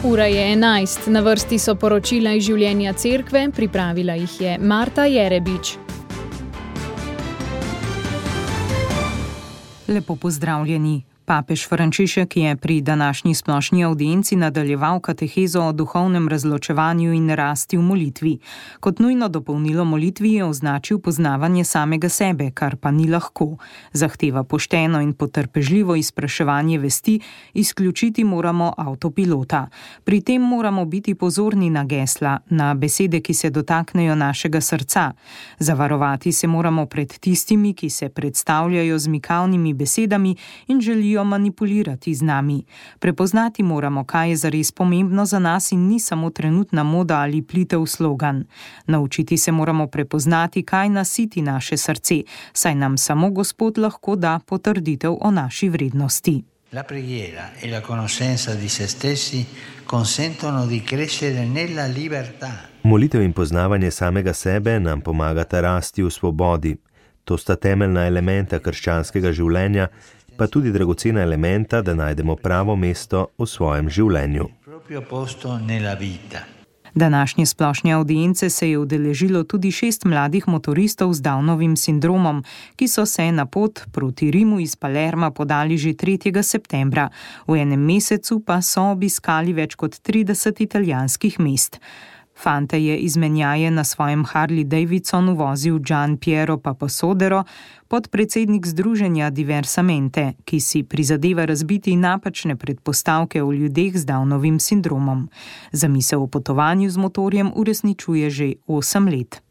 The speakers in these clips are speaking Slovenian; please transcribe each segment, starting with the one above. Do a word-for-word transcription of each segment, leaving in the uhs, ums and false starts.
Ura je enajst, na vrsti so poročila iz življenja cerkve, pripravila jih je Marta Jerebič. Lepo pozdravljeni. Papež Frančišek je pri današnji splošni avdienci nadaljeval katehezo o duhovnem razločevanju in rasti v molitvi. Kot nujno dopolnilo molitvi je označil poznavanje samega sebe, kar pa ni lahko. Zahteva pošteno in potrpežljivo izpraševanje vesti, izključiti moramo avtopilota. Pri tem moramo biti pozorni na gesla, na besede, ki se dotaknejo našega srca. Zavarovati se moramo pred tistimi, ki se predstavljajo z mikavnimi besedami in želijo manipulirati z nami. Prepoznati moramo, kaj je zares pomembno za nas in ni samo trenutna moda ali plitev slogan. Naučiti se moramo prepoznati, kaj nasiti naše srce, saj nam samo Gospod lahko da potrditev o naši vrednosti. La preghiera e la conoscenza di se stessi consentono di crescere nella libertà. Molitev in poznavanje samega sebe nam pomagata rasti v svobodi. To sta temeljna elementa krščanskega življenja, pa tudi dragocena elementa, da najdemo pravo mesto v svojem življenju. Današnje splošne avdience se je udeležilo tudi šest mladih motoristov z Downovim sindromom, ki so se na pot proti Rimu iz Palerma podali že tretjega septembra. V enem mesecu pa so obiskali več kot trideset italijanskih mest. Fante je izmenjaje na svojem Harley Davidsonu vozil Gian Piero Papasodero, podpredsednik združenja Diversamente, ki si prizadeva razbiti napačne predpostavke o ljudeh z Downovim sindromom. Zamisel o potovanju z motorjem uresničuje že osem let.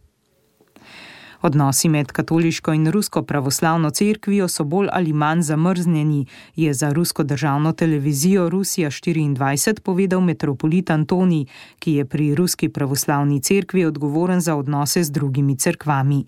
Odnosi med katoliško in rusko pravoslavno cerkvijo so bolj ali manj zamrznjeni, je za rusko državno televizijo Rusija štiriindvajset povedal metropolit Antonij, ki je pri ruski pravoslavni cerkvi odgovoren za odnose z drugimi cerkvami.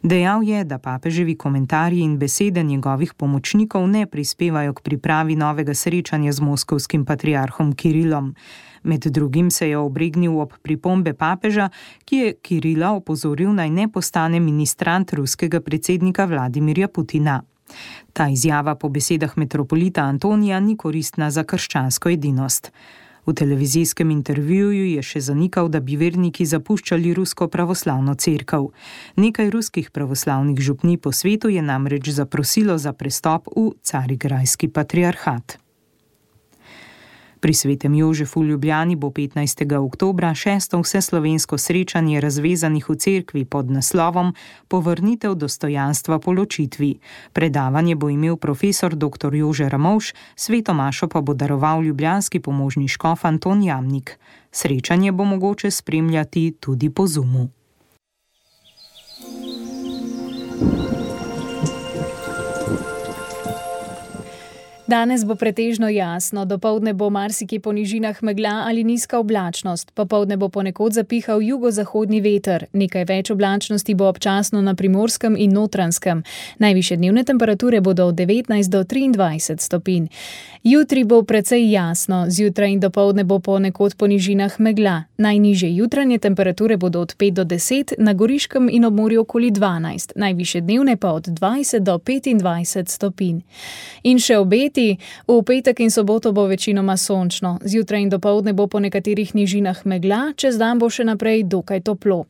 Dejal je, da papeževi komentarji in besede njegovih pomočnikov ne prispevajo k pripravi novega srečanja z moskovskim patriarhom Kirilom. Med drugim se je obregnil ob pripombe papeža, ki je Kirila opozoril naj ne postane ministrant ruskega predsednika Vladimirja Putina. Ta izjava po besedah metropolita Antonija ni koristna za krščansko edinost. V televizijskem intervjuju je še zanikal, da bi verniki zapuščali rusko pravoslavno cerkev. Nekaj ruskih pravoslavnih župnij po svetu je namreč zaprosilo za prestop v Carigrajski patriarhat. Pri Svetem Jožefu v Ljubljani bo petnajstega oktobra šesto vseslovensko srečanje razvezanih v cerkvi pod naslovom Povrnitev dostojanstva po ločitvi. Predavanje bo imel profesor doktor Jože Ramovš, sveto mašo pa bo daroval ljubljanski pomožni škof Anton Jamnik. Srečanje bo mogoče spremljati tudi po Zoomu. Danes bo pretežno jasno, dopoldne bo marsikje po nižinah megla ali nizka oblačnost, popoldne bo ponekod zapihal jugozahodni veter, nekaj več oblačnosti bo občasno na Primorskem in Notranjskem. Najvišje dnevne temperature bodo od devetnajst do triindvajset stopinj. Jutri bo precej jasno, zjutraj in dopoldne bo ponekod po nižinah megla. Najnižje jutranje temperature bodo od pet do deset, na Goriškem in ob morju okoli dvanajst, najvišje dnevne pa od dvajset do petindvajset stopinj. In še obeti. V petek in soboto bo večinoma sončno, zjutraj in dopoldne bo po nekaterih nižinah megla, čez dan bo še naprej dokaj toplo.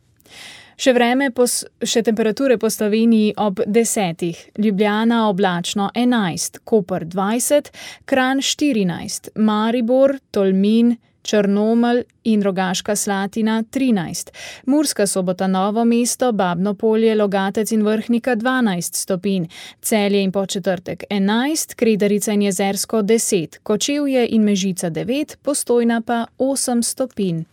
Še vreme, pos, še temperature po Sloveniji ob desetih, Ljubljana oblačno enajst, Koper dvajset, Kranj štirinajst, Maribor, Tolmin, Črnomelj in Rogaška Slatina trinajst, Murska Sobota Novo mesto, Babno Polje, Logatec in Vrhnika dvanajst stopinj, Celje in Podčetrtek enajst, Kredarica in Jezersko deset, Kočevje in Mežica devet, Postojna pa osem stopinj.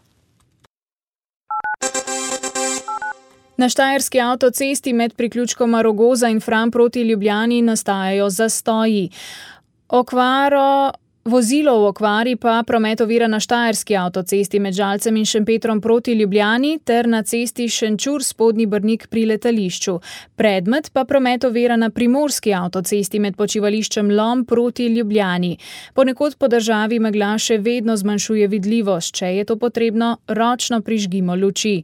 Na štajerski avtocesti med priključkoma Rogoza in Fram proti Ljubljani nastajajo zastoji. Okvaro Vozilo v okvari pa promet ovira na štajerski avtocesti med Žalcem in Šempetrom proti Ljubljani ter na cesti Šenčur-Spodnji Brnik pri letališču. Predmet pa promet ovira na primorski avtocesti med počivališčem Lom proti Ljubljani. Ponekod po državi megla še vedno zmanjšuje vidljivost, če je to potrebno, ročno prižgimo luči.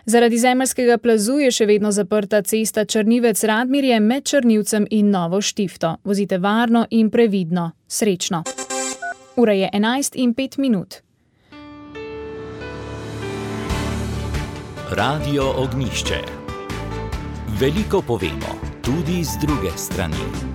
Zaradi zemeljskega plazu je še vedno zaprta cesta Črnivec-Radmirje med Črnivcem in Novo Štifto. Vozite varno in previdno. Srečno! Ura je enajst in pet minut. Radio Ognišče. Veliko povemo, tudi z druge strani.